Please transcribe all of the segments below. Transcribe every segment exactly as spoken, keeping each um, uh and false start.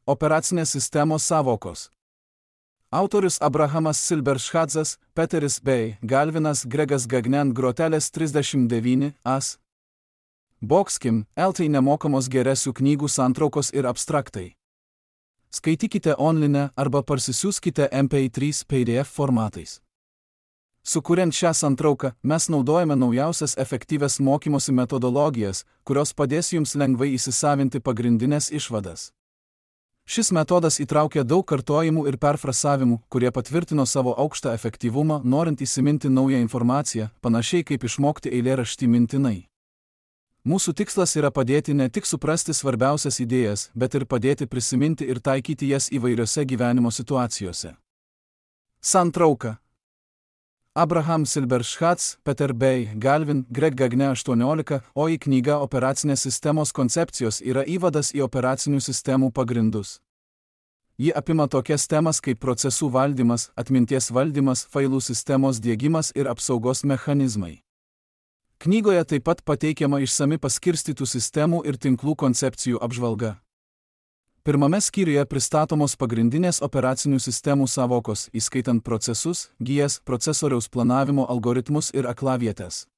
Operacinės sistemos sąvokos. Autorius Abrahamas Silberschadzas, Peteris Bey, Galvinas Gregas Gagnen Grotelės trisdešimt devyni as. Bokskim, eltai nemokamos geresių knygų santraukos ir abstraktai. Skaitykite online arba parsisiųskite M P trys P D F formatais. Sukuriant šią santrauką, mes naudojame naujausias efektyvias mokymosi metodologijas, kurios padės jums lengvai įsisavinti pagrindinės išvadas. Šis metodas įtraukia daug kartojimų ir perfrasavimų, kurie patvirtino savo aukštą efektyvumą, norint įsiminti naują informaciją, panašiai kaip išmokti eilėraštį mintinai. Mūsų tikslas yra padėti ne tik suprasti svarbiausias idėjas, bet ir padėti prisiminti ir taikyti jas įvairiose gyvenimo situacijose. Santrauka. Abraham Silberschatz, Peter Bey, Galvin, Greg Gagne aštuoniolika, o į knygą Operacinės sistemos koncepcijos yra įvadas į operacinių sistemų pagrindus. Ji apima tokias temas kaip procesų valdymas, atminties valdymas, failų sistemos diegimas ir apsaugos mechanizmai. Knygoje taip pat pateikiama išsami paskirstytų sistemų ir tinklų koncepcijų apžvalga. Pirmame skyriuje pristatomos pagrindinės operacinių sistemų sąvokos, įskaitant procesus, gijas, procesoriaus planavimo algoritmus ir aklavietes.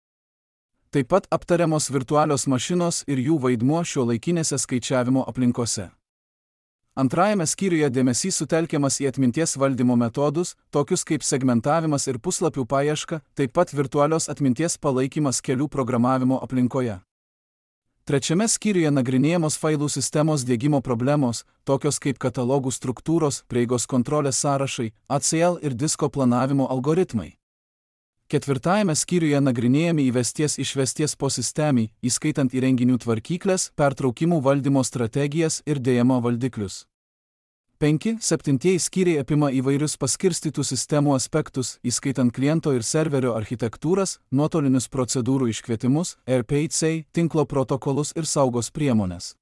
Taip pat aptariamos virtualios mašinos ir jų vaidmuo šiuolaikinėse skaičiavimo aplinkose. Antrajame skyriuje dėmesys sutelkiamas į atminties valdymo metodus, tokius kaip segmentavimas ir puslapių paieška, taip pat virtualios atminties palaikymas kelių programavimo aplinkoje. Trečiame skyriuje nagrinėjamos failų sistemos diegimo problemos, tokios kaip katalogų struktūros, prieigos kontrolės sąrašai, A C L ir disko planavimo algoritmai. Ketvirtajame skyriuje nagrinėjami įvesties išvesties posistemiai, įskaitant įrenginių tvarkyklės, pertraukimų valdymo strategijas ir dėjimo valdiklius. Penki, septintieji skyriai apima įvairius paskirstytų sistemų aspektus, įskaitant kliento ir serverio architektūras, nuotolinius procedūrų iškvietimus, R P C, tinklo protokolus ir saugos priemones.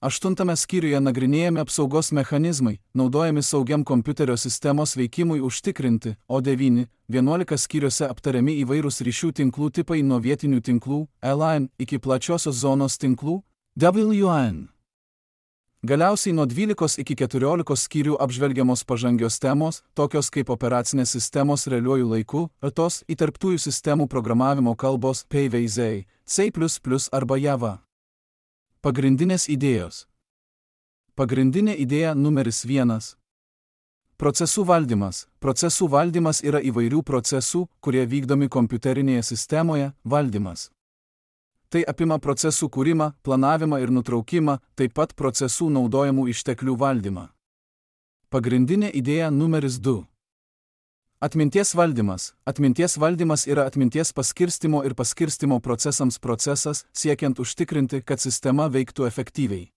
Aštuntame skyriuje nagrinėjami apsaugos mechanizmai, naudojami saugiam kompiuterio sistemos veikimui užtikrinti, o devyni, vienuolika skyriuose aptariami įvairūs ryšių tinklų tipai nuo vietinių tinklų, L A N, iki plačiosios zonos tinklų, W A N. Galiausiai nuo dvylikos iki keturiolikos skyrių apžvelgiamos pažangios temos, tokios kaip operacinės sistemos realiuoju laiku, tos įterptųjų sistemų programavimo kalbos P V Z, C plus plus arba Java. Pagrindinės idėjos. Pagrindinė idėja numeris vienas. Procesų valdymas. Procesų valdymas yra įvairių procesų, kurie vykdomi kompiuterinėje sistemoje, valdymas. Tai apima procesų kūrimą, planavimą ir nutraukimą, taip pat procesų naudojamų išteklių valdymą. Pagrindinė idėja numeris du. Atminties valdymas. Atminties valdymas yra atminties paskirstimo ir paskirstimo procesams procesas, siekiant užtikrinti, kad sistema veiktų efektyviai.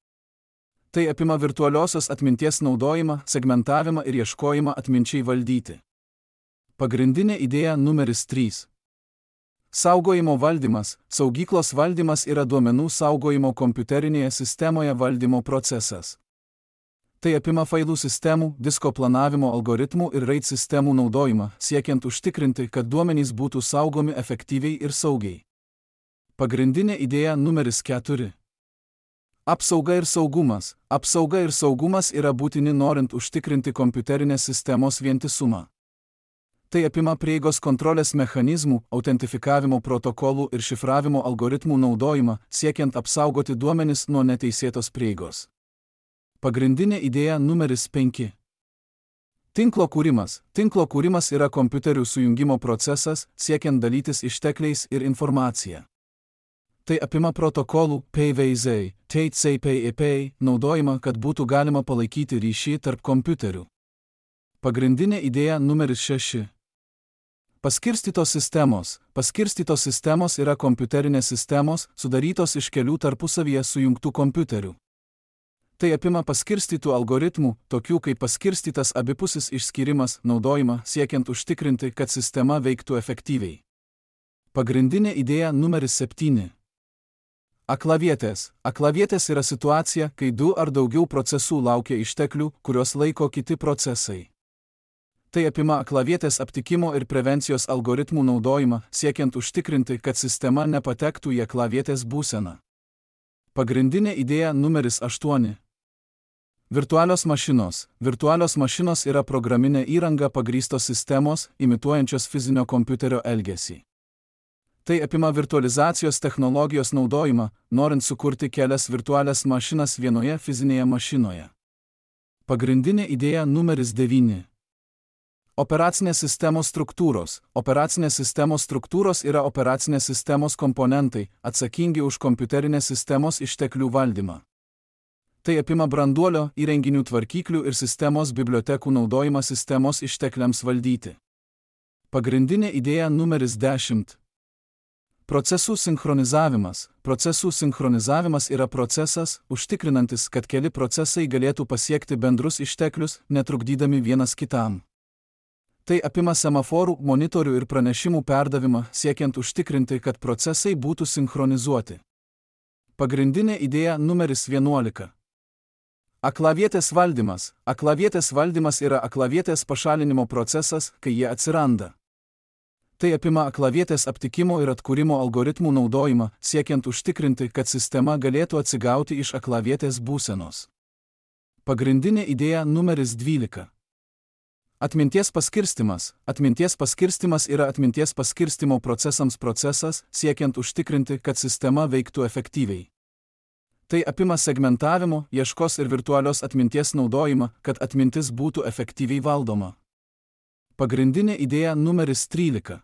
Tai apima virtualiosios atminties naudojimą, segmentavimą ir ieškojimą atminčiai valdyti. Pagrindinė idėja numeris trys. Saugojimo valdymas. Saugyklos valdymas yra duomenų saugojimo kompiuterinėje sistemoje valdymo procesas. Tai apima failų sistemų, disko planavimo algoritmų ir RAID sistemų naudojimą, siekiant užtikrinti, kad duomenys būtų saugomi efektyviai ir saugiai. Pagrindinė idėja numeris keturi. Apsauga ir saugumas. Apsauga ir saugumas yra būtini norint užtikrinti kompiuterinės sistemos vientisumą. Tai apima prieigos kontrolės mechanizmų, autentifikavimo protokolų ir šifravimo algoritmų naudojimą, siekiant apsaugoti duomenis nuo neteisėtos prieigos. Pagrindinė idėja numeris penki. Tinklo kūrimas. Tinklo kūrimas yra kompiuterių sujungimo procesas, siekiant dalytis ištekliais ir informacija. Tai apima protokolų P V Z, T C P I P naudojimą, kad būtų galima palaikyti ryšį tarp kompiuterių. Pagrindinė idėja numeris šeši. Paskirstytos sistemos. Paskirstytos sistemos yra kompiuterinės sistemos, sudarytos iš kelių tarpusavyje sujungtų kompiuterių. Tai apima paskirstytų algoritmų, tokių kaip paskirstytas abipusis išskyrimas, naudojimą, siekiant užtikrinti, kad sistema veiktų efektyviai. Pagrindinė idėja numeris septyni. Aklavietės. Aklavietės yra situacija, kai du ar daugiau procesų laukia išteklių, kuriuos laiko kiti procesai. Tai apima aklavietės aptikimo ir prevencijos algoritmų naudojimą, siekiant užtikrinti, kad sistema nepatektų į aklavietės būseną. Pagrindinė idėja numeris aštuoni. Virtualios mašinos. Virtualios mašinos yra programinė įranga pagrįstos sistemos, imituojančios fizinio kompiuterio elgesį. Tai apima virtualizacijos technologijos naudojimą, norint sukurti kelias virtualias mašinas vienoje fizinėje mašinoje. Pagrindinė idėja numeris devyni. Operacinės sistemos struktūros. Operacinės sistemos struktūros yra operacinės sistemos komponentai, atsakingi už kompiuterinės sistemos išteklių valdymą. Tai apima branduolio, įrenginių tvarkyklių ir sistemos bibliotekų naudojimą sistemos ištekliams valdyti. Pagrindinė idėja numeris dešimt. Procesų sinchronizavimas. Procesų sinchronizavimas yra procesas, užtikrinantis, kad keli procesai galėtų pasiekti bendrus išteklius, netrukdydami vienas kitam. Tai apima semaforų, monitorių ir pranešimų perdavimą, siekiant užtikrinti, kad procesai būtų sinchronizuoti. Pagrindinė idėja numeris vienuolika. Aklavietės valdymas. Aklavietės valdymas yra aklavietės pašalinimo procesas, kai jie atsiranda. Tai apima aklavietės aptikimo ir atkūrimo algoritmų naudojimą, siekiant užtikrinti, kad sistema galėtų atsigauti iš aklavietės būsenos. Pagrindinė idėja numeris dvylika. Atminties paskirstimas. Atminties paskirstimas yra atminties paskirstimo procesams procesas, siekiant užtikrinti, kad sistema veiktų efektyviai. Tai apima segmentavimo, ieškos ir virtualios atminties naudojimą, kad atmintis būtų efektyviai valdoma. Pagrindinė idėja numeris trylika.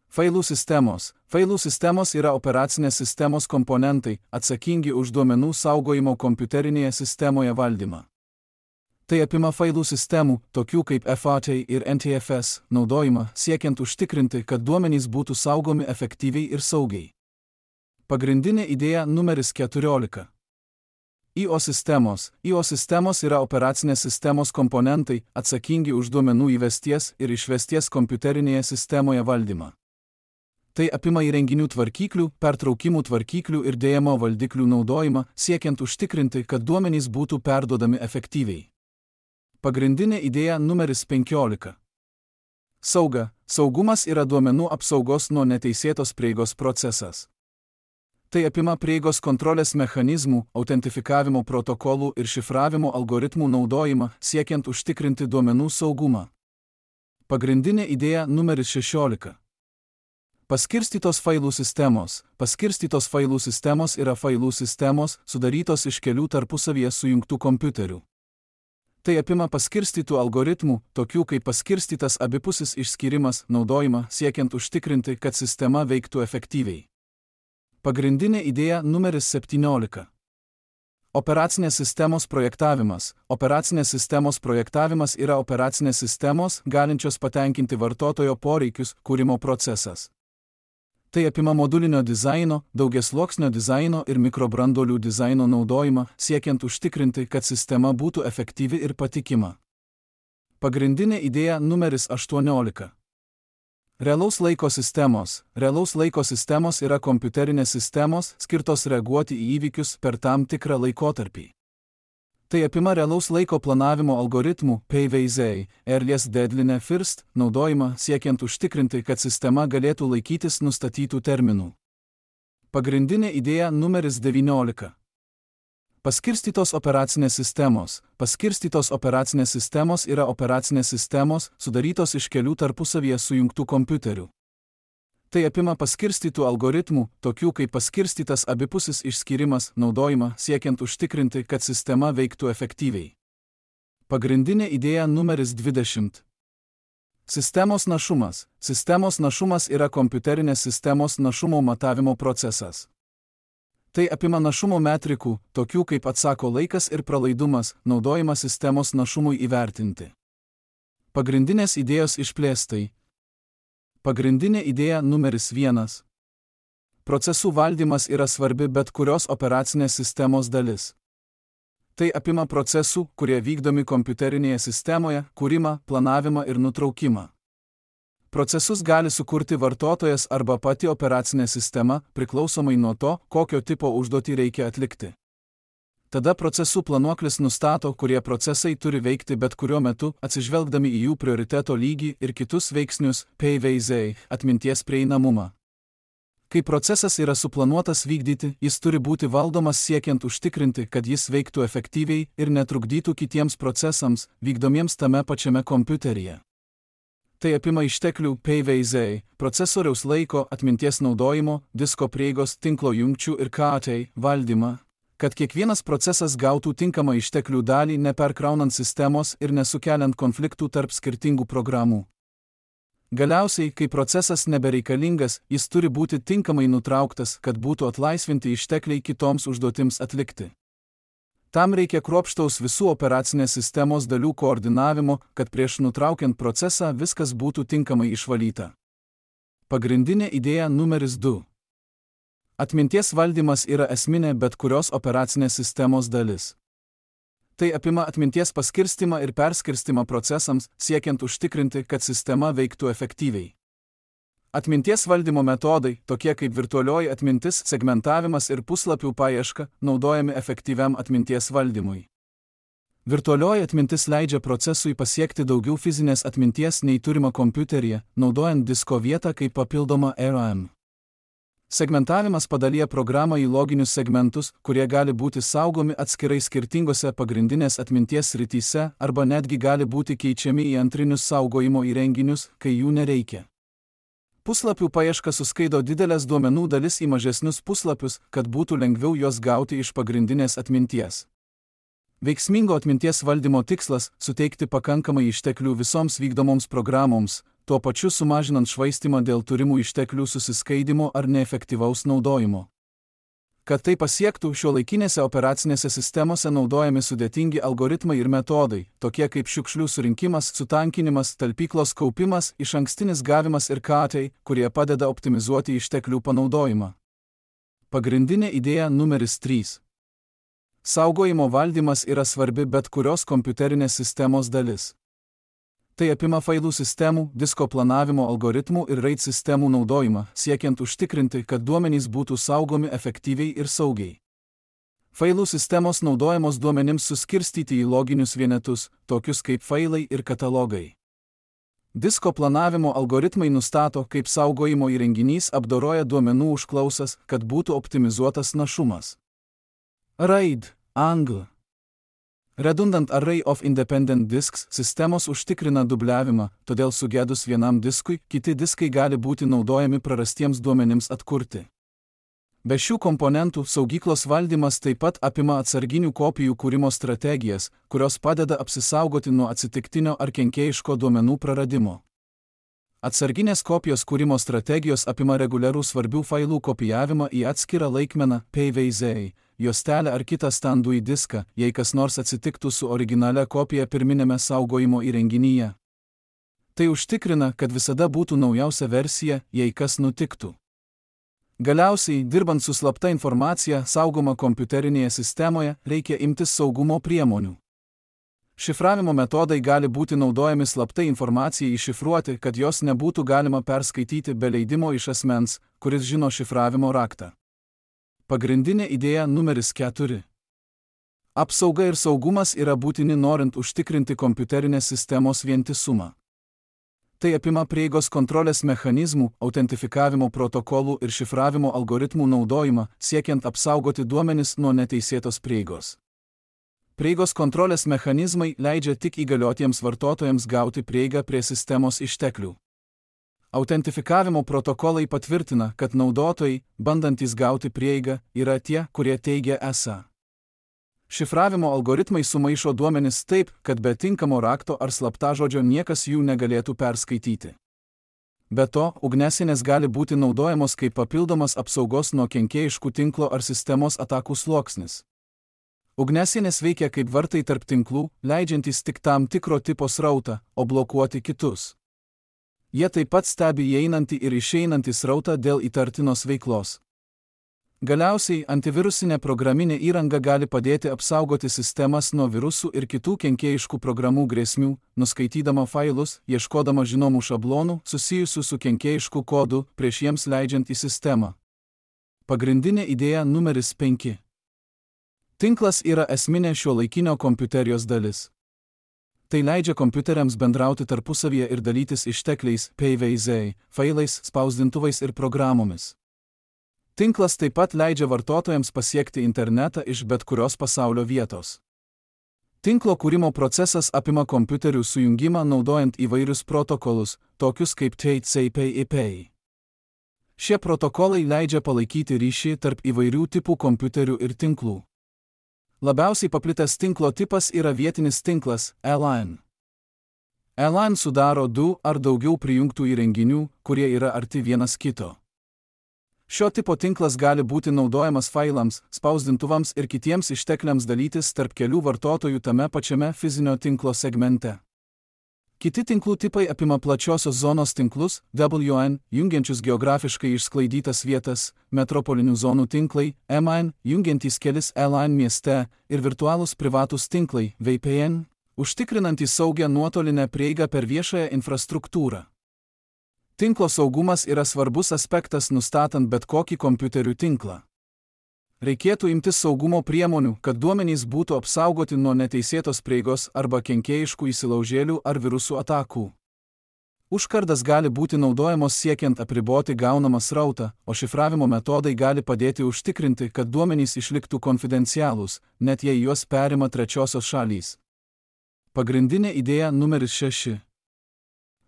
Failų sistemos. Failų sistemos yra operacinės sistemos komponentai, atsakingi už duomenų saugojimo kompiuterinėje sistemoje valdymą. Tai apima failų sistemų, tokių kaip F A T ir N T F S, naudojimą, siekiant užtikrinti, kad duomenys būtų saugomi efektyviai ir saugiai. Pagrindinė idėja numeris keturiolika. I O sistemos. I O sistemos yra operacinės sistemos komponentai, atsakingi už duomenų įvesties ir išvesties kompiuterinėje sistemoje valdymą. Tai apima įrenginių tvarkyklių, pertraukimų tvarkyklių ir D M O valdiklių naudojimą, siekiant užtikrinti, kad duomenys būtų perduodami efektyviai. Pagrindinė idėja numeris penkiolika. Sauga. Saugumas yra duomenų apsaugos nuo neteisėtos prieigos procesas. Tai apima prieigos kontrolės mechanizmų, autentifikavimo protokolų ir šifravimo algoritmų naudojimą, siekiant užtikrinti duomenų saugumą. Pagrindinė idėja numeris šešiolika. Paskirstytos failų sistemos. Paskirstytos failų sistemos yra failų sistemos, sudarytos iš kelių tarpusavyje sujungtų kompiuterių. Tai apima paskirstytų algoritmų, tokių kaip paskirstytas abipusis išskyrimas, naudojimą, siekiant užtikrinti, kad sistema veiktų efektyviai. Pagrindinė idėja numeris septyniolika. Operacinės sistemos projektavimas. Operacinės sistemos projektavimas yra operacinės sistemos, galinčios patenkinti vartotojo poreikius, kūrimo procesas. Tai apima modulinio dizaino, daugiasluoksnio dizaino ir mikrobranduolių dizaino naudojimą, siekiant užtikrinti, kad sistema būtų efektyvi ir patikima. Pagrindinė idėja numeris aštuoniolika. Realaus laiko sistemos. Realaus laiko sistemos yra kompiuterinės sistemos, skirtos reaguoti į įvykius per tam tikrą laikotarpį. Tai apima realaus laiko planavimo algoritmų P V Z, Earliest Deadline First, naudojimą, siekiant užtikrinti, kad sistema galėtų laikytis nustatytų terminų. Pagrindinė idėja numeris devyniolika. Paskirstytos operacinės sistemos. Paskirstytos operacinės sistemos yra operacinės sistemos, sudarytos iš kelių tarpusavyje sujungtų kompiuterių. Tai apima paskirstytų algoritmų, tokių kaip paskirstytas abipusis išskyrimas, naudojimą, siekiant užtikrinti, kad sistema veiktų efektyviai. Pagrindinė idėja numeris dvidešimt. Sistemos našumas. Sistemos našumas yra kompiuterinės sistemos našumo matavimo procesas. Tai apima našumo metrikų, tokių kaip atsako laikas ir pralaidumas, naudojimą sistemos našumui įvertinti. Pagrindinės idėjos išplėstai. Pagrindinė idėja numeris vienas. Procesų valdymas yra svarbi bet kurios operacinės sistemos dalis. Tai apima procesų, kurie vykdomi kompiuterinėje sistemoje, kūrimą, planavimą ir nutraukimą. Procesus gali sukurti vartotojas arba pati operacinė sistema, priklausomai nuo to, kokio tipo užduotį reikia atlikti. Tada procesų planuoklis nustato, kurie procesai turi veikti bet kuriuo metu, atsižvelgdami į jų prioriteto lygį ir kitus veiksnius, P V Z, atminties prieinamumą. Kai procesas yra suplanuotas vykdyti, jis turi būti valdomas siekiant užtikrinti, kad jis veiktų efektyviai ir netrukdytų kitiems procesams, vykdomiems tame pačiame kompiuteryje. Tai apima išteklių P V Z, procesoriaus laiko, atminties naudojimo, disko prieigos, tinklo jungčių ir K T valdymą, kad kiekvienas procesas gautų tinkamą išteklių dalį neperkraunant sistemos ir nesukeliant konfliktų tarp skirtingų programų. Galiausiai, kai procesas nebereikalingas, jis turi būti tinkamai nutrauktas, kad būtų atlaisvinti ištekliai kitoms užduotims atlikti. Tam reikia kruopštaus visų operacinės sistemos dalių koordinavimo, kad prieš nutraukiant procesą viskas būtų tinkamai išvalyta. Pagrindinė idėja numeris du. Atminties valdymas yra esminė bet kurios operacinės sistemos dalis. Tai apima atminties paskirstimą ir perskirstimą procesams, siekiant užtikrinti, kad sistema veiktų efektyviai. Atminties valdymo metodai, tokie kaip virtualioji atmintis, segmentavimas ir puslapių paieška, naudojami efektyviam atminties valdymui. Virtualioji atmintis leidžia procesui pasiekti daugiau fizinės atminties nei turima kompiuteryje, naudojant disko vietą kaip papildomą RAM. Segmentavimas padalyja programą į loginius segmentus, kurie gali būti saugomi atskirai skirtingose pagrindinės atminties srityse arba netgi gali būti keičiami į antrinius saugojimo įrenginius, kai jų nereikia. Puslapių paieška suskaido didelės duomenų dalis į mažesnius puslapius, kad būtų lengviau juos gauti iš pagrindinės atminties. Veiksmingo atminties valdymo tikslas – suteikti pakankamai išteklių visoms vykdomoms programoms, tuo pačiu sumažinant švaistimą dėl turimų išteklių susiskaidimo ar neefektyvaus naudojimo. Kad tai pasiektų, šiuolaikinėse operacinėse sistemose naudojami sudėtingi algoritmai ir metodai, tokie kaip šiukšlių surinkimas, sutankinimas, talpyklos kaupimas, išankstinis gavimas ir K T, kurie padeda optimizuoti išteklių panaudojimą. Pagrindinė idėja numeris trys. Saugojimo valdymas yra svarbi bet kurios kompiuterinės sistemos dalis. Tai apima failų sistemų, disko planavimo algoritmų ir RAID sistemų naudojimą, siekiant užtikrinti, kad duomenys būtų saugomi efektyviai ir saugiai. Failų sistemos naudojamos duomenims suskirstyti į loginius vienetus, tokius kaip failai ir katalogai. Disko planavimo algoritmai nustato, kaip saugojimo įrenginys apdoroja duomenų užklausas, kad būtų optimizuotas našumas. RAID, angl. Redundant Array of Independent Disks sistemos užtikrina dubliavimą, todėl sugedus vienam diskui, kiti diskai gali būti naudojami prarastiems duomenims atkurti. Be šių komponentų saugyklos valdymas taip pat apima atsarginių kopijų kūrimo strategijas, kurios padeda apsisaugoti nuo atsitiktinio ar kenkėjiško duomenų praradimo. Atsarginės kopijos kūrimo strategijos apima reguliarų svarbių failų kopijavimą į atskirą laikmeną P V Z, juostelę ar kitą standų į diską, jei kas nors atsitiktų su originalia kopija pirminėme saugojimo įrenginyje. Tai užtikrina, kad visada būtų naujausia versija, jei kas nutiktų. Galiausiai, dirbant su slapta informacija saugoma kompiuterinėje sistemoje, reikia imtis saugumo priemonių. Šifravimo metodai gali būti naudojami slaptai informacijai iššifruoti, kad jos nebūtų galima perskaityti be leidimo iš asmens, kuris žino šifravimo raktą. Pagrindinė idėja numeris keturi. Apsauga ir saugumas yra būtini norint užtikrinti kompiuterinės sistemos vientisumą. Tai apima prieigos kontrolės mechanizmų, autentifikavimo protokolų ir šifravimo algoritmų naudojimą, siekiant apsaugoti duomenis nuo neteisėtos prieigos. Prieigos kontrolės mechanizmai leidžia tik įgaliotiems vartotojams gauti prieigą prie sistemos išteklių. Autentifikavimo protokolai patvirtina, kad naudotojai, bandantys gauti prieigą, yra tie, kurie teigia esą. Šifravimo algoritmai sumaišo duomenis taip, kad be tinkamo rakto ar slaptažodžio niekas jų negalėtų perskaityti. Be to, ugnesinės gali būti naudojamos kaip papildomas apsaugos nuo kenkėjiškų tinklo ar sistemos atakų sluoksnis. Ugnesinės veikia kaip vartai tarp tinklų, leidžiantys tik tam tikro tipo srautą, o blokuoti kitus. Jie taip pat stebi įeinantį ir išeinantį srautą dėl įtartinos veiklos. Galiausiai, antivirusinė programinė įranga gali padėti apsaugoti sistemas nuo virusų ir kitų kenkėjiškų programų grėsmių, nuskaitydama failus, ieškodama žinomų šablonų, susijusių su kenkėjišku kodu, prieš jiems leidžiant į sistemą. Pagrindinė idėja numeris penki. Tinklas yra esminė šiuolaikinio kompiuterijos dalis. Tai leidžia kompiuteriams bendrauti tarpusavyje ir dalytis ištekliais P V Z, failais, spausdintuvais ir programomis. Tinklas taip pat leidžia vartotojams pasiekti internetą iš bet kurios pasaulio vietos. Tinklo kūrimo procesas apima kompiuterių sujungimą naudojant įvairius protokolus, tokius kaip T C P I P. Šie protokolai leidžia palaikyti ryšį tarp įvairių tipų kompiuterių ir tinklų. Labiausiai paplitęs tinklo tipas yra vietinis tinklas L A N. L A N sudaro du ar daugiau prijungtų įrenginių, kurie yra arti vienas kito. Šio tipo tinklas gali būti naudojamas failams, spausdintuvams ir kitiems ištekliams dalytis tarp kelių vartotojų tame pačiame fizinio tinklo segmente. Kiti tinklų tipai apima plačiosios zonos tinklus, W N, jungiančius geografiškai išsklaidytas vietas, metropolinių zonų tinklai, M A N, jungiantys kelis L A N mieste, ir virtualūs privatūs tinklai, V P N, užtikrinantys saugią nuotolinę prieigą per viešąją infrastruktūrą. Tinklo saugumas yra svarbus aspektas nustatant bet kokį kompiuterių tinklą. Reikėtų imtis saugumo priemonių, kad duomenys būtų apsaugoti nuo neteisėtos prieigos arba kenkėjiškų įsilaužėlių ar virusų atakų. Užkardas gali būti naudojamos siekiant apriboti gaunamą srautą, o šifravimo metodai gali padėti užtikrinti, kad duomenys išliktų konfidencialūs, net jei juos perima trečiosios šalys. Pagrindinė idėja numeris šeši.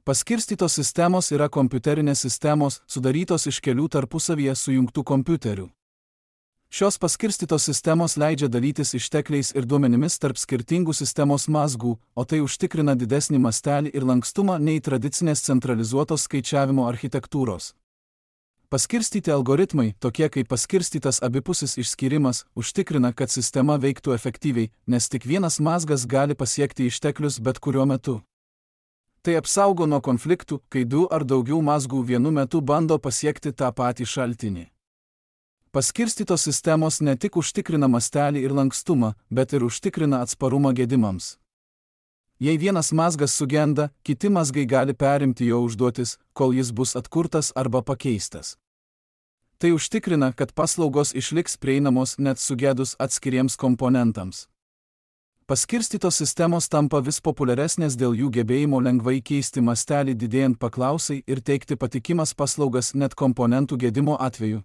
Paskirstytos sistemos yra kompiuterinės sistemos, sudarytos iš kelių tarpusavyje sujungtų kompiuterių. Šios paskirstytos sistemos leidžia dalytis ištekliais ir duomenimis tarp skirtingų sistemos mazgų, o tai užtikrina didesnį mastelį ir lankstumą nei tradicinės centralizuotos skaičiavimo architektūros. Paskirstyti algoritmai, tokie kaip paskirstytas abipusis išskyrimas, užtikrina, kad sistema veiktų efektyviai, nes tik vienas mazgas gali pasiekti išteklius bet kuriuo metu. Tai apsaugo nuo konfliktų, kai du ar daugiau mazgų vienu metu bando pasiekti tą patį šaltinį. Paskirstytos sistemos ne tik užtikrina mastelį ir lankstumą, bet ir užtikrina atsparumą gedimams. Jei vienas mazgas sugenda, kiti mazgai gali perimti jo užduotis, kol jis bus atkurtas arba pakeistas. Tai užtikrina, kad paslaugos išliks prieinamos net sugedus atskiriems komponentams. Paskirstytos sistemos tampa vis populiaresnės dėl jų gebėjimo lengvai keisti mastelį didėjant paklausai ir teikti patikimas paslaugas net komponentų gedimo atveju.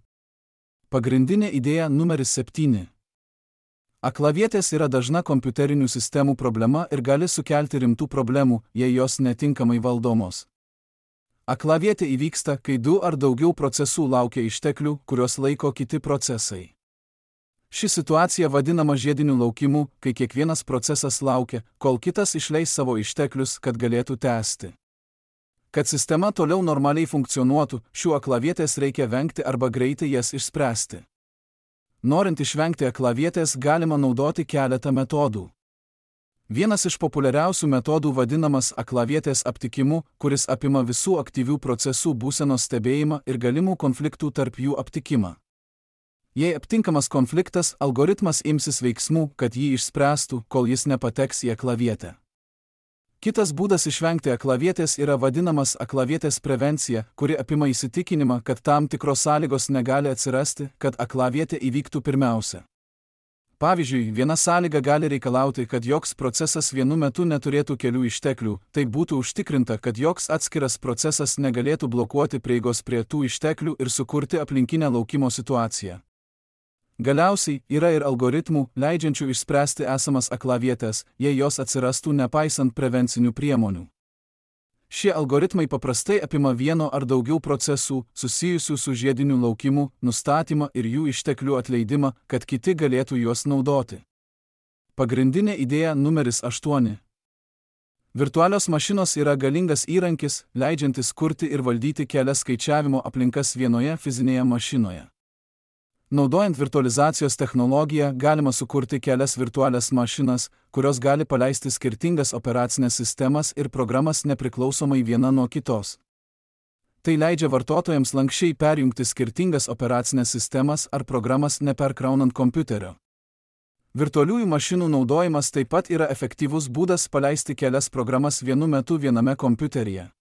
Pagrindinė idėja numeris septyni. Aklavietės yra dažna kompiuterinių sistemų problema ir gali sukelti rimtų problemų, jei jos netinkamai valdomos. Aklavietė įvyksta, kai du ar daugiau procesų laukia išteklių, kuriuos laiko kiti procesai. Ši situacija vadinama žiediniu laukimu, kai kiekvienas procesas laukia, kol kitas išleis savo išteklius, kad galėtų tęsti. Kad sistema toliau normaliai funkcionuotų, šių aklavietės reikia vengti arba greitai jas išspręsti. Norint išvengti aklavietės, galima naudoti keletą metodų. Vienas iš populiariausių metodų vadinamas aklavietės aptikimu, kuris apima visų aktyvių procesų būsenos stebėjimą ir galimų konfliktų tarp jų aptikimą. Jei aptinkamas konfliktas, algoritmas imsis veiksmų, kad jį išspręstų, kol jis nepateks į aklavietę. Kitas būdas išvengti aklavietės yra vadinamas aklavietės prevencija, kuri apima įsitikinimą, kad tam tikros sąlygos negali atsirasti, kad aklavietė įvyktų pirmiausia. Pavyzdžiui, viena sąlyga gali reikalauti, kad joks procesas vienu metu neturėtų kelių išteklių, tai būtų užtikrinta, kad joks atskiras procesas negalėtų blokuoti prieigos prie tų išteklių ir sukurti aplinkinę laukimo situaciją. Galiausiai, yra ir algoritmų, leidžiančių išspręsti esamas aklavietės, jei jos atsirastų nepaisant prevencinių priemonių. Šie algoritmai paprastai apima vieno ar daugiau procesų, susijusių su žiediniu laukimu, nustatymą ir jų išteklių atleidimą, kad kiti galėtų juos naudoti. Pagrindinė idėja numeris aštuoni. Virtualios mašinos yra galingas įrankis, leidžiantis kurti ir valdyti kelias skaičiavimo aplinkas vienoje fizinėje mašinoje. Naudojant virtualizacijos technologiją galima sukurti kelias virtualias mašinas, kurios gali paleisti skirtingas operacinės sistemas ir programas nepriklausomai viena nuo kitos. Tai leidžia vartotojams lanksčiai perjungti skirtingas operacinės sistemas ar programas neperkraunant kompiuterio. Virtualiųjų mašinų naudojimas taip pat yra efektyvus būdas paleisti kelias programas vienu metu viename kompiuteryje.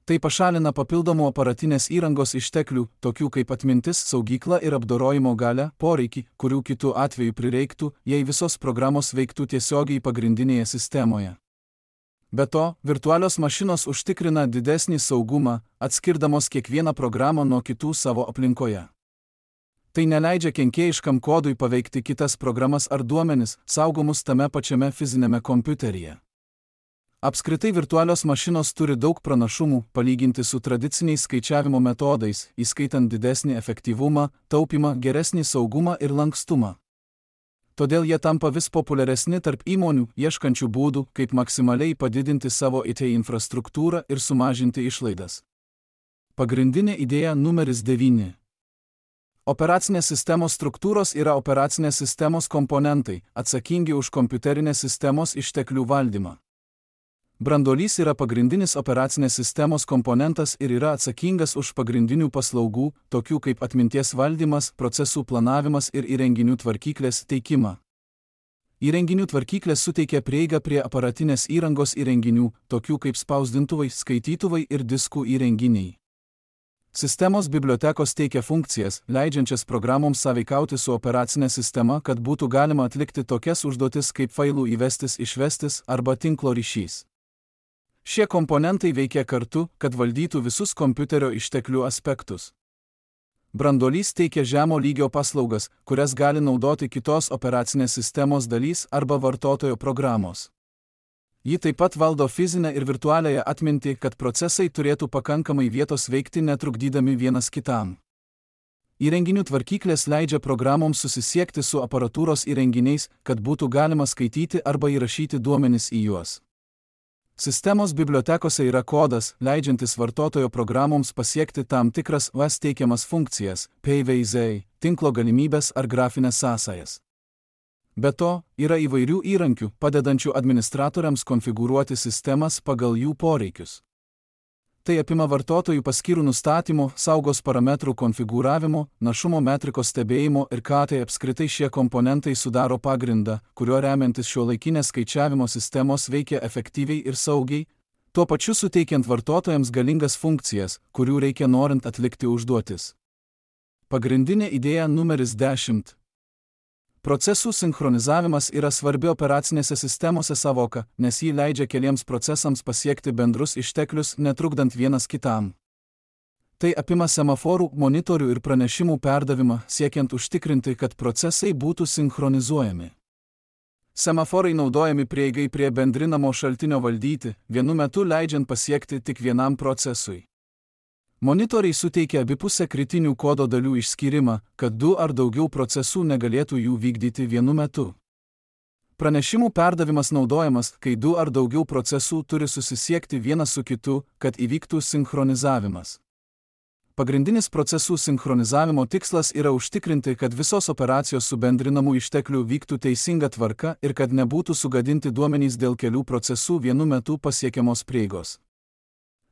Tai pašalina papildomų aparatinės įrangos išteklių, tokių kaip atmintis, saugykla ir apdorojimo galia, poreikį, kurių kitų atveju prireiktų, jei visos programos veiktų tiesiogiai pagrindinėje sistemoje. Be to, virtualios mašinos užtikrina didesnį saugumą, atskirdamos kiekvieną programą nuo kitų savo aplinkoje. Tai neleidžia kenkėjiškam kodui paveikti kitas programas ar duomenis, saugomus tame pačiame fizinėme kompiuteryje. Apskritai virtualios mašinos turi daug pranašumų palyginti su tradiciniais skaičiavimo metodais, įskaitant didesnį efektyvumą, taupymą, geresnį saugumą ir lankstumą. Todėl jie tampa vis populiaresni tarp įmonių, ieškančių būdų, kaip maksimaliai padidinti savo I T infrastruktūrą ir sumažinti išlaidas. Pagrindinė idėja numeris devyni. Operacinės sistemos struktūros yra operacinės sistemos komponentai, atsakingi už kompiuterinės sistemos išteklių valdymą. Branduolys yra pagrindinis operacinės sistemos komponentas ir yra atsakingas už pagrindinių paslaugų, tokių kaip atminties valdymas, procesų planavimas ir įrenginių tvarkyklės teikimą. Įrenginių tvarkyklės suteikia prieigą prie aparatinės įrangos įrenginių, tokių kaip spausdintuvai, skaitytuvai ir diskų įrenginiai. Sistemos bibliotekos teikia funkcijas, leidžiančias programoms sąveikauti su operacinė sistema, kad būtų galima atlikti tokias užduotis kaip failų įvestis išvestis arba tinklo ryšys. Šie komponentai veikia kartu, kad valdytų visus kompiuterio išteklių aspektus. Branduolys teikia žemo lygio paslaugas, kurias gali naudoti kitos operacinės sistemos dalys arba vartotojo programos. Ji taip pat valdo fizinę ir virtualiąją atmintį, kad procesai turėtų pakankamai vietos veikti netrukdydami vienas kitam. Įrenginių tvarkyklės leidžia programoms susisiekti su aparatūros įrenginiais, kad būtų galima skaityti arba įrašyti duomenis į juos. Sistemos bibliotekose yra kodas, leidžiantis vartotojo programoms pasiekti tam tikras V A S teikiamas funkcijas, P V Z, tinklo galimybės ar grafinės sąsajas. Be to, yra įvairių įrankių, padedančių administratoriams konfigūruoti sistemas pagal jų poreikius. Tai apima vartotojų paskyrų nustatymo, saugos parametrų konfigūravimo, našumo metrikos stebėjimo ir ką tai apskritai šie komponentai sudaro pagrindą, kuriuo remiantis šiuolaikinės skaičiavimo sistemos veikia efektyviai ir saugiai, tuo pačiu suteikiant vartotojams galingas funkcijas, kurių reikia norint atlikti užduotis. Pagrindinė idėja numeris dešimt. Procesų sinchronizavimas yra svarbi operacinėse sistemose savoka, nes jį leidžia keliems procesams pasiekti bendrus išteklius, netrukdant vienas kitam. Tai apima semaforų, monitorių ir pranešimų perdavimą, siekiant užtikrinti, kad procesai būtų sinchronizuojami. Semaforai naudojami prieigai prie bendrinamo šaltinio valdyti, vienu metu leidžiant pasiekti tik vienam procesui. Monitoriai suteikia abipusę kritinių kodo dalių išskyrimą, kad du ar daugiau procesų negalėtų jų vykdyti vienu metu. Pranešimų perdavimas naudojamas, kai du ar daugiau procesų turi susisiekti vienas su kitu, kad įvyktų sinchronizavimas. Pagrindinis procesų sinchronizavimo tikslas yra užtikrinti, kad visos operacijos su bendrinamų išteklių vyktų teisinga tvarka ir kad nebūtų sugadinti duomenys dėl kelių procesų vienu metu pasiekiamos prieigos.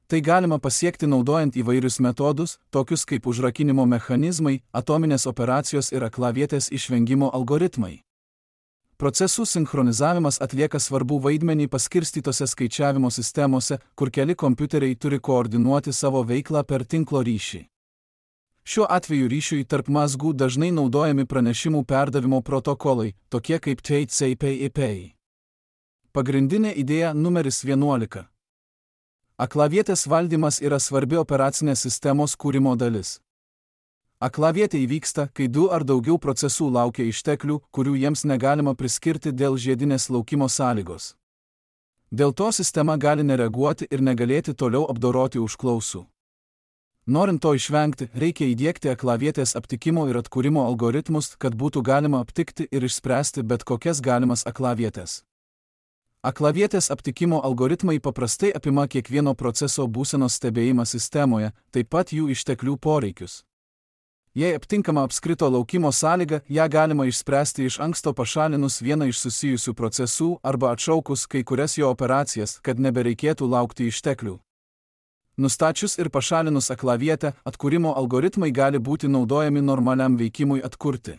Tai galima pasiekti naudojant įvairius metodus, tokius kaip užrakinimo mechanizmai, atominės operacijos ir aklavietės išvengimo algoritmai. Procesų sinchronizavimas atlieka svarbų vaidmenį paskirstytose skaičiavimo sistemose, kur keli kompiuteriai turi koordinuoti savo veiklą per tinklo ryšį. Šiuo atveju ryšiui tarp mazgų dažnai naudojami pranešimų perdavimo protokolai, tokie kaip T C P I P. Pagrindinė idėja numeris vienuolika. Aklavietės valdymas yra svarbi operacinės sistemos kūrimo dalis. Aklavietė įvyksta, kai du ar daugiau procesų laukia išteklių, kurių jiems negalima priskirti dėl žiedinės laukimo sąlygos. Dėl to sistema gali nereaguoti ir negalėti toliau apdoroti užklausų. Norint to išvengti, reikia įdiegti aklavietės aptikimo ir atkūrimo algoritmus, kad būtų galima aptikti ir išspręsti bet kokias galimas aklavietės. Aklavietės aptikimo algoritmai paprastai apima kiekvieno proceso būsenos stebėjimą sistemoje, taip pat jų išteklių poreikius. Jei aptinkama apskrito laukimo sąlyga, ją galima išspręsti iš anksto pašalinus vieną iš susijusių procesų arba atšaukus kai kurias jo operacijas, kad nebereikėtų laukti išteklių. Nustačius ir pašalinus aklavietę, atkūrimo algoritmai gali būti naudojami normaliam veikimui atkurti.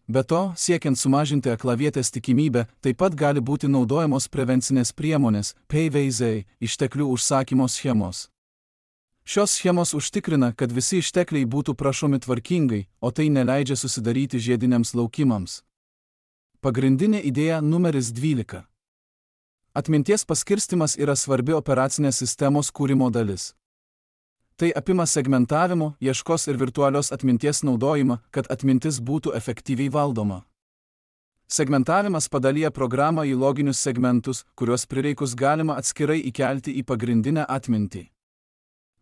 Be to, siekiant sumažinti aklavietės tikimybę, taip pat gali būti naudojamos prevencinės priemonės, P V Z, išteklių užsakymo schemos. Šios schemos užtikrina, kad visi ištekliai būtų prašomi tvarkingai, o tai neleidžia susidaryti žiediniams laukimams. Pagrindinė idėja numeris dvylika. Atminties paskirstimas yra svarbi operacinės sistemos kūrimo dalis. Tai apima segmentavimo, ieškos ir virtualios atminties naudojimą, kad atmintis būtų efektyviai valdoma. Segmentavimas padalyja programą į loginius segmentus, kuriuos prireikus galima atskirai įkelti į pagrindinę atmintį.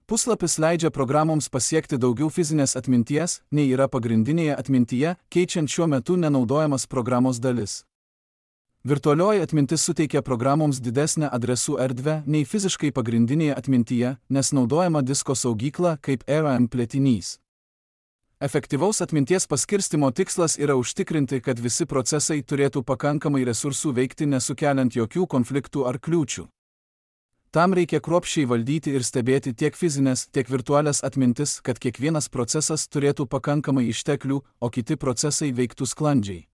Puslapis leidžia programoms pasiekti daugiau fizinės atminties, nei yra pagrindinėje atmintyje, keičiant šiuo metu nenaudojamas programos dalis. Virtualioji atmintis suteikia programoms didesnę adresų erdvę nei fiziškai pagrindinėje atmintyje, nes naudojama disko saugykla kaip R A M plėtinys. Efektyvaus atminties paskirstimo tikslas yra užtikrinti, kad visi procesai turėtų pakankamai resursų veikti nesukeliant jokių konfliktų ar kliūčių. Tam reikia kruopščiai valdyti ir stebėti tiek fizinės, tiek virtualias atmintis, kad kiekvienas procesas turėtų pakankamai išteklių, o kiti procesai veiktų sklandžiai.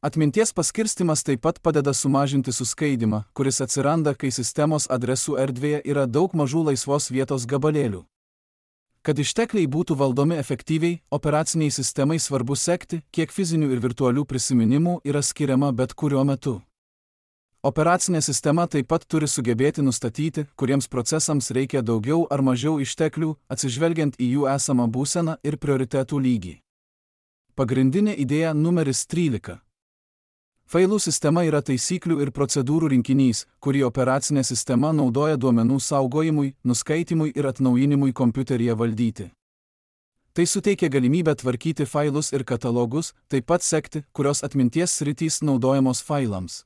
Atminties paskirstimas taip pat padeda sumažinti suskaidymą, kuris atsiranda, kai sistemos adresų erdvėje yra daug mažų laisvos vietos gabalėlių. Kad ištekliai būtų valdomi efektyviai, operaciniai sistemai svarbu sekti, kiek fizinių ir virtualių prisiminimų yra skiriama bet kuriuo metu. Operacinė sistema taip pat turi sugebėti nustatyti, kuriems procesams reikia daugiau ar mažiau išteklių, atsižvelgiant į jų esamą būseną ir prioritetų lygį. Pagrindinė idėja numeris trylika. Failų sistema yra taisyklių ir procedūrų rinkinys, kurį operacinė sistema naudoja duomenų saugojimui, nuskaitimui ir atnaujinimui kompiuteryje valdyti. Tai suteikia galimybę tvarkyti failus ir katalogus, taip pat sekti, kurios atminties sritys naudojamos failams.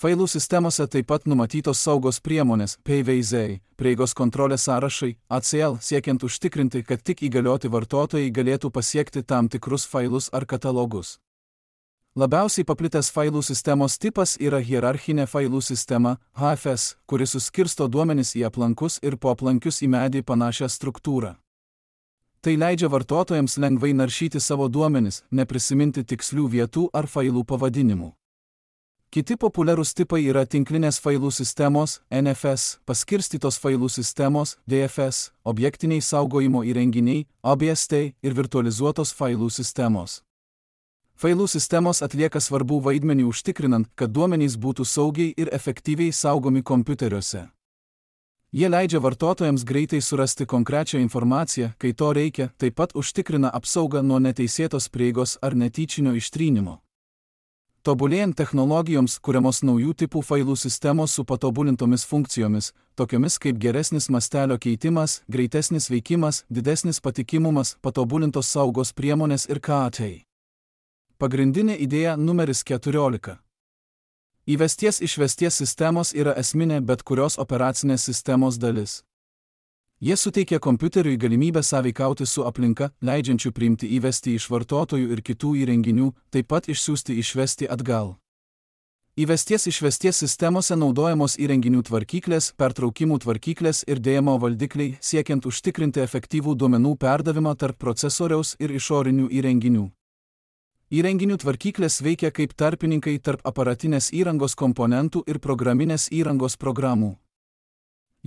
Failų sistemose taip pat numatytos saugos priemonės, P V Z, prieigos kontrolės sąrašai, A C L, siekiant užtikrinti, kad tik įgalioti vartotojai galėtų pasiekti tam tikrus failus ar katalogus. Labiausiai paplitęs failų sistemos tipas yra hierarchinė failų sistema, H F S, kuri suskirsto duomenis į aplankus ir poaplankius į medį panašią struktūrą. Tai leidžia vartotojams lengvai naršyti savo duomenis, neprisiminti tikslių vietų ar failų pavadinimų. Kiti populiarūs tipai yra tinklinės failų sistemos, N F S, paskirstytos failų sistemos, D F S, objektiniai saugojimo įrenginiai, O B S T ir virtualizuotos failų sistemos. Failų sistemos atlieka svarbų vaidmenį užtikrinant, kad duomenys būtų saugiai ir efektyviai saugomi kompiuteriuose. Jie leidžia vartotojams greitai surasti konkrečią informaciją, kai to reikia, taip pat užtikrina apsaugą nuo neteisėtos prieigos ar netyčinio ištrynimo. Tobulėjant technologijoms kuriamos naujų tipų failų sistemos su patobulintomis funkcijomis, tokiomis kaip geresnis mastelio keitimas, greitesnis veikimas, didesnis patikimumas, patobulintos saugos priemonės ir K A T. Pagrindinė idėja numeris keturiolika. Įvesties išvesties sistemos yra esminė bet kurios operacinės sistemos dalis. Jie suteikia kompiuteriui galimybę sąveikauti su aplinka, leidžiančių priimti įvesti iš vartotojų ir kitų įrenginių, taip pat išsiųsti išvesti atgal. Įvesties išvesties sistemose naudojamos įrenginių tvarkyklės, pertraukimų tvarkyklės ir D M O valdikliai, siekiant užtikrinti efektyvų duomenų perdavimą tarp procesoriaus ir išorinių įrenginių. Įrenginių tvarkyklės veikia kaip tarpininkai tarp aparatinės įrangos komponentų ir programinės įrangos programų.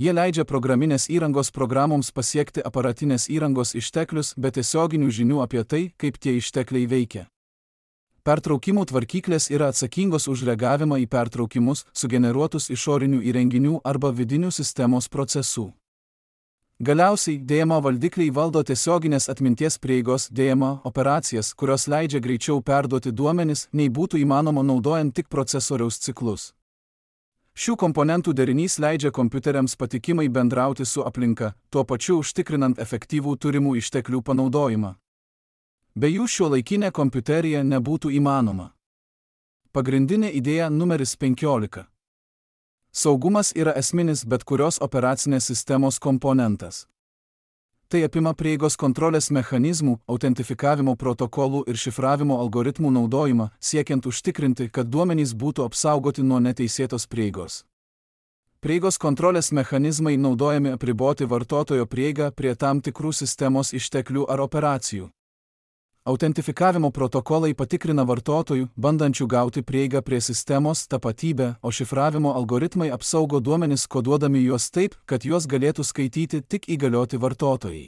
Jie leidžia programinės įrangos programoms pasiekti aparatinės įrangos išteklius be tiesioginių žinių apie tai, kaip tie ištekliai veikia. Pertraukimų tvarkyklės yra atsakingos už reagavimą į pertraukimus, sugeneruotus išorinių įrenginių arba vidinių sistemos procesų. Galiausiai, D M O valdikliai valdo tiesioginės atminties prieigos D M O operacijas, kurios leidžia greičiau perduoti duomenis, nei būtų įmanoma naudojant tik procesoriaus ciklus. Šių komponentų derinys leidžia kompiuteriams patikimai bendrauti su aplinka, tuo pačiu užtikrinant efektyvų turimų išteklių panaudojimą. Be jų šiuolaikinė kompiuterija nebūtų įmanoma. Pagrindinė idėja numeris penkiolika. Saugumas yra esminis bet kurios operacinės sistemos komponentas. Tai apima prieigos kontrolės mechanizmų, autentifikavimo protokolų ir šifravimo algoritmų naudojimą, siekiant užtikrinti, kad duomenys būtų apsaugoti nuo neteisėtos prieigos. Prieigos kontrolės mechanizmai naudojami apriboti vartotojo prieigą prie tam tikrų sistemos išteklių ar operacijų. Autentifikavimo protokolai patikrina vartotojų, bandančių gauti prieigą prie sistemos, tapatybę, o šifravimo algoritmai apsaugo duomenis koduodami juos taip, kad juos galėtų skaityti tik įgalioti vartotojai.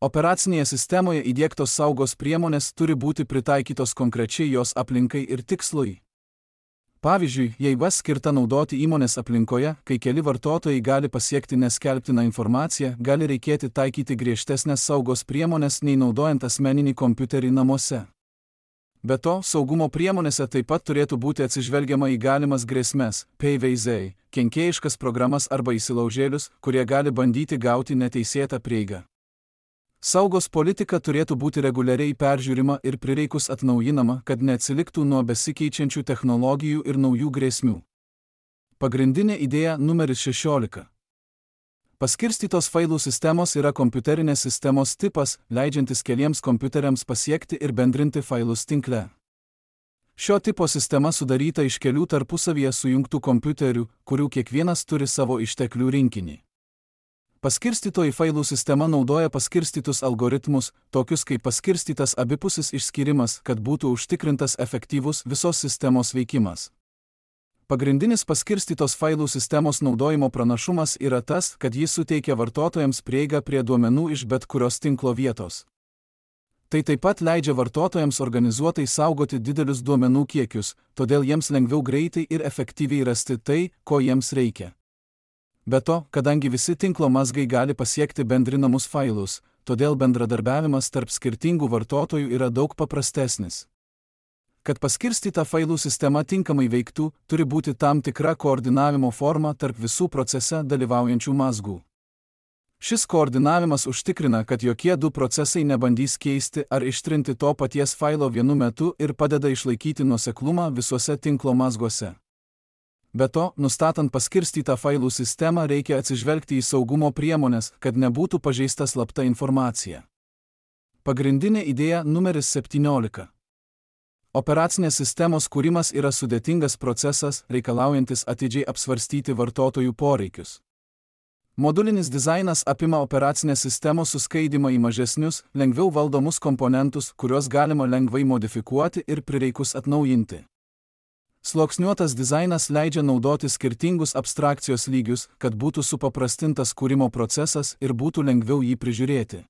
Operacinėje sistemoje įdiegtos saugos priemonės turi būti pritaikytos konkrečiai jos aplinkai ir tikslui. Pavyzdžiui, jei V A S skirta naudoti įmonės aplinkoje, kai keli vartotojai gali pasiekti neskelbtiną informaciją, gali reikėti taikyti griežtesnės saugos priemonės nei naudojant asmeninį kompiuterį namuose. Be to, saugumo priemonėse taip pat turėtų būti atsižvelgiama į galimas grėsmes, paveiziai, kenkėjiškas programas arba įsilaužėlius, kurie gali bandyti gauti neteisėtą prieigą. Saugos politika turėtų būti reguliariai peržiūrima ir prireikus atnaujinama, kad neatsiliktų nuo besikeičiančių technologijų ir naujų grėsmių. Pagrindinė idėja numeris šešiolika. Paskirstytos failų sistemos yra kompiuterinės sistemos tipas, leidžiantis keliems kompiuteriams pasiekti ir bendrinti failus tinkle. Šio tipo sistema sudaryta iš kelių tarpusavyje sujungtų kompiuterių, kurių kiekvienas turi savo išteklių rinkinį. Paskirstytoji failų sistema naudoja paskirstytus algoritmus, tokius kaip paskirstytas abipusis išskyrimas, kad būtų užtikrintas efektyvus visos sistemos veikimas. Pagrindinis paskirstytos failų sistemos naudojimo pranašumas yra tas, kad jis suteikia vartotojams prieigą prie duomenų iš bet kurios tinklo vietos. Tai taip pat leidžia vartotojams organizuotai saugoti didelius duomenų kiekius, todėl jiems lengviau greitai ir efektyviai rasti tai, ko jiems reikia. Be to, kadangi visi tinklo mazgai gali pasiekti bendrinamus failus, todėl bendradarbiavimas tarp skirtingų vartotojų yra daug paprastesnis. Kad paskirstyta failų sistema tinkamai veiktų, turi būti tam tikra koordinavimo forma tarp visų procese dalyvaujančių mazgų. Šis koordinavimas užtikrina, kad jokie du procesai nebandys keisti ar ištrinti to paties failo vienu metu ir padeda išlaikyti nuoseklumą visuose tinklo mazguose. Be to, nustatant paskirstytą failų sistemą, reikia atsižvelgti į saugumo priemonės, kad nebūtų pažeista slapta informacija. Pagrindinė idėja numeris septyniolika. Operacinės sistemos kūrimas yra sudėtingas procesas, reikalaujantis atidžiai apsvarstyti vartotojų poreikius. Modulinis dizainas apima operacinės sistemos suskaidymą į mažesnius, lengviau valdomus komponentus, kuriuos galima lengvai modifikuoti ir prireikus atnaujinti. Sluoksniuotas dizainas leidžia naudoti skirtingus abstrakcijos lygius, kad būtų supaprastintas kūrimo procesas ir būtų lengviau jį prižiūrėti.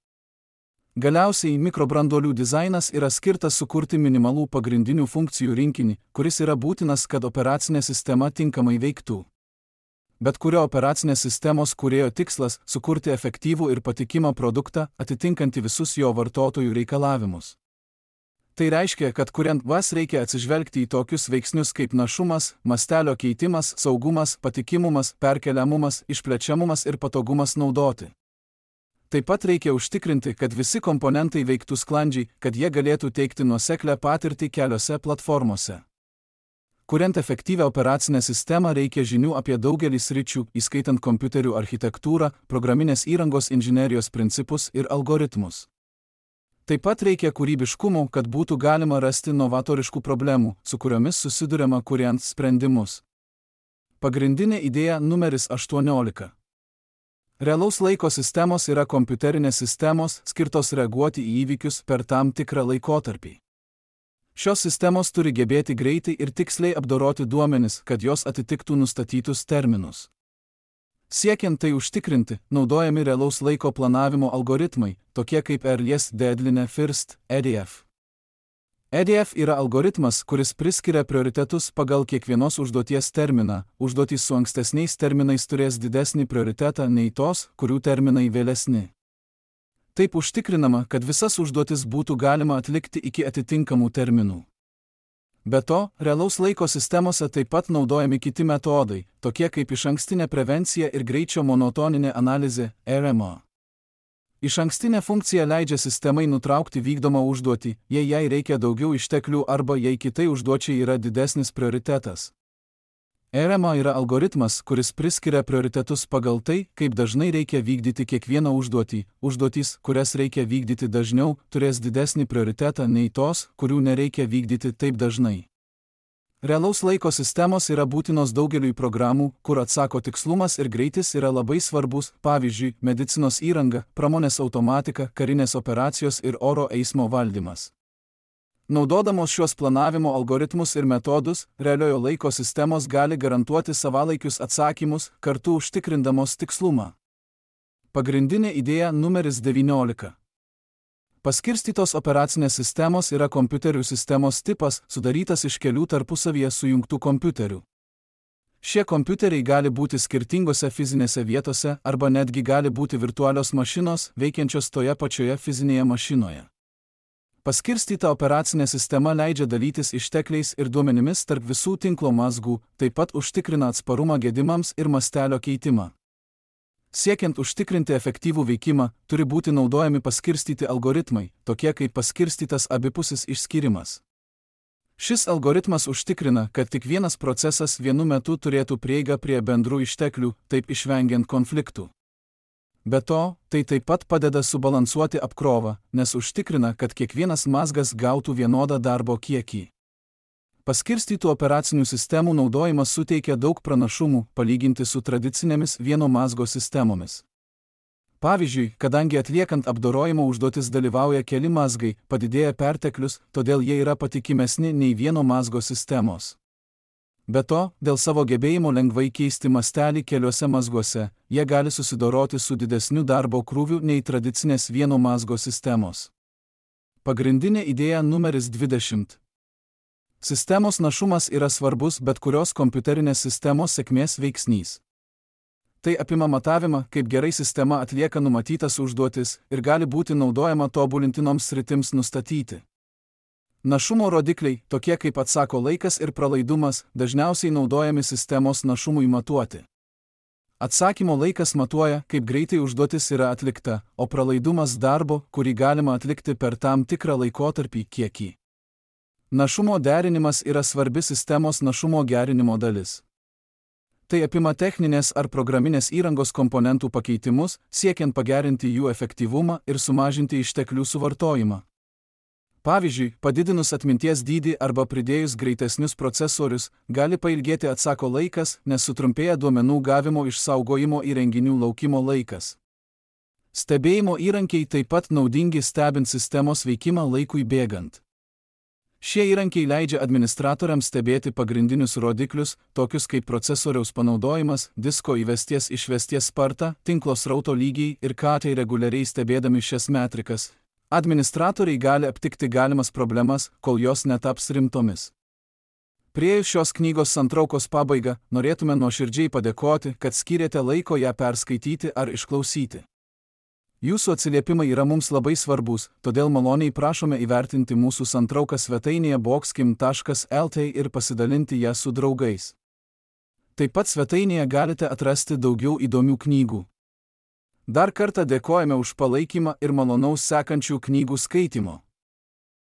Galiausiai mikrobranduolių dizainas yra skirtas sukurti minimalų pagrindinių funkcijų rinkinį, kuris yra būtinas, kad operacinė sistema tinkamai veiktų. Bet kurio operacinės sistemos kūrėjo tikslas – sukurti efektyvų ir patikimą produktą, atitinkantį visus jo vartotojų reikalavimus. Tai reiškia, kad kuriant V A S reikia atsižvelgti į tokius veiksnius kaip našumas, mastelio keitimas, saugumas, patikimumas, perkeliamumas, išplečiamumas ir patogumas naudoti. Taip pat reikia užtikrinti, kad visi komponentai veiktų sklandžiai, kad jie galėtų teikti nuoseklią patirtį keliose platformose. Kuriant efektyvią operacinę sistemą reikia žinių apie daugelį sričių, įskaitant kompiuterių architektūrą, programinės įrangos inžinerijos principus ir algoritmus. Taip pat reikia kūrybiškumo, kad būtų galima rasti novatoriškų problemų, su kuriomis susiduriama kuriant sprendimus. Pagrindinė idėja numeris aštuoniolika. Realaus laiko sistemos yra kompiuterinės sistemos, skirtos reaguoti į įvykius per tam tikrą laikotarpį. Šios sistemos turi gebėti greitai ir tiksliai apdoroti duomenis, kad jos atitiktų nustatytus terminus. Siekiant tai užtikrinti, naudojami realaus laiko planavimo algoritmai, tokie kaip Earliest Deadline First, E D F. E D F yra algoritmas, kuris priskiria prioritetus pagal kiekvienos užduoties terminą. Užduotys su ankstesniais terminais turės didesnį prioritetą nei tos, kurių terminai vėlesni. Taip užtikrinama, kad visas užduotis būtų galima atlikti iki atitinkamų terminų. Be to, realaus laiko sistemose taip pat naudojami kiti metodai, tokie kaip išankstinė prevencija ir greičio monotoninė analizė, R M A. Išankstinė funkcija leidžia sistemai nutraukti vykdomą užduotį, jei jai reikia daugiau išteklių arba jei kitai užduočiai yra didesnis prioritetas. R M A yra algoritmas, kuris priskiria prioritetus pagal tai, kaip dažnai reikia vykdyti kiekvieną užduotį. Užduotys, kurias reikia vykdyti dažniau, turės didesnį prioritetą nei tos, kurių nereikia vykdyti taip dažnai. Realaus laiko sistemos yra būtinos daugeliui programų, kur atsako tikslumas ir greitis yra labai svarbus, pavyzdžiui, medicinos įranga, pramonės automatika, karinės operacijos ir oro eismo valdymas. Naudodamos šios planavimo algoritmus ir metodus, realiojo laiko sistemos gali garantuoti savalaikius atsakymus, kartu užtikrindamos tikslumą. Pagrindinė idėja numeris devyniolika. Paskirstytos operacinės sistemos yra kompiuterių sistemos tipas, sudarytas iš kelių tarpusavyje sujungtų kompiuterių. Šie kompiuteriai gali būti skirtingose fizinėse vietose arba netgi gali būti virtualios mašinos, veikiančios toje pačioje fizinėje mašinoje. Paskirstyta operacinė sistema leidžia dalytis ištekliais ir duomenimis tarp visų tinklo mazgų, taip pat užtikrina atsparumą gedimams ir mastelio keitimą. Siekiant užtikrinti efektyvų veikimą, turi būti naudojami paskirstyti algoritmai, tokie kaip paskirstytas abipusis išskyrimas. Šis algoritmas užtikrina, kad tik vienas procesas vienu metu turėtų prieigą prie bendrų išteklių, taip išvengiant konfliktų. Be to, tai taip pat padeda subalansuoti apkrovą, nes užtikrina, kad kiekvienas mazgas gautų vienodą darbo kiekį. Paskirstytų operacinių sistemų naudojimas suteikia daug pranašumų, palyginti su tradicinėmis vieno mazgo sistemomis. Pavyzdžiui, kadangi atliekant apdorojimo užduotis dalyvauja keli mazgai, padidėja perteklius, todėl jie yra patikimesni nei vieno mazgo sistemos. Be to, dėl savo gebėjimo lengvai keisti mastelį keliuose mazguose, jie gali susidoroti su didesniu darbo krūviu nei tradicinės vieno mazgo sistemos. Pagrindinė idėja numeris dvidešimt. Sistemos našumas yra svarbus bet kurios kompiuterinės sistemos sėkmės veiksnys. Tai apima matavimą, kaip gerai sistema atlieka numatytas užduotis ir gali būti naudojama tobulintinoms sritims nustatyti. Našumo rodikliai, tokie kaip atsako laikas ir pralaidumas, dažniausiai naudojami sistemos našumui matuoti. Atsakymo laikas matuoja, kaip greitai užduotis yra atlikta, o pralaidumas darbo, kurį galima atlikti per tam tikrą laikotarpį, kiekį. Našumo derinimas yra svarbi sistemos našumo gerinimo dalis. Tai apima techninės ar programinės įrangos komponentų pakeitimus, siekiant pagerinti jų efektyvumą ir sumažinti išteklių suvartojimą. Pavyzdžiui, padidinus atminties dydį arba pridėjus greitesnius procesorius, gali pailgėti atsako laikas, nes sutrumpėja duomenų gavimo išsaugojimo įrenginių laukimo laikas. Stebėjimo įrankiai taip pat naudingi stebint sistemos veikimą laikui bėgant. Šie įrankiai leidžia administratoriams stebėti pagrindinius rodiklius, tokius kaip procesoriaus panaudojimas, disko įvesties išvesties sparta, tinklo srauto lygiai ir katai reguliariai stebėdami šias metrikas. Administratoriai gali aptikti galimas problemas, kol jos netaps rimtomis. Priėjus šios knygos santraukos pabaigą, norėtume nuoširdžiai padėkoti, kad skyrėte laiko ją perskaityti ar išklausyti. Jūsų atsiliepimai yra mums labai svarbus, todėl maloniai prašome įvertinti mūsų santrauką svetainėje boxkim taškas el tė ir pasidalinti ją su draugais. Taip pat svetainėje galite atrasti daugiau įdomių knygų. Dar kartą dėkojame už palaikymą ir malonaus sekančių knygų skaitimo.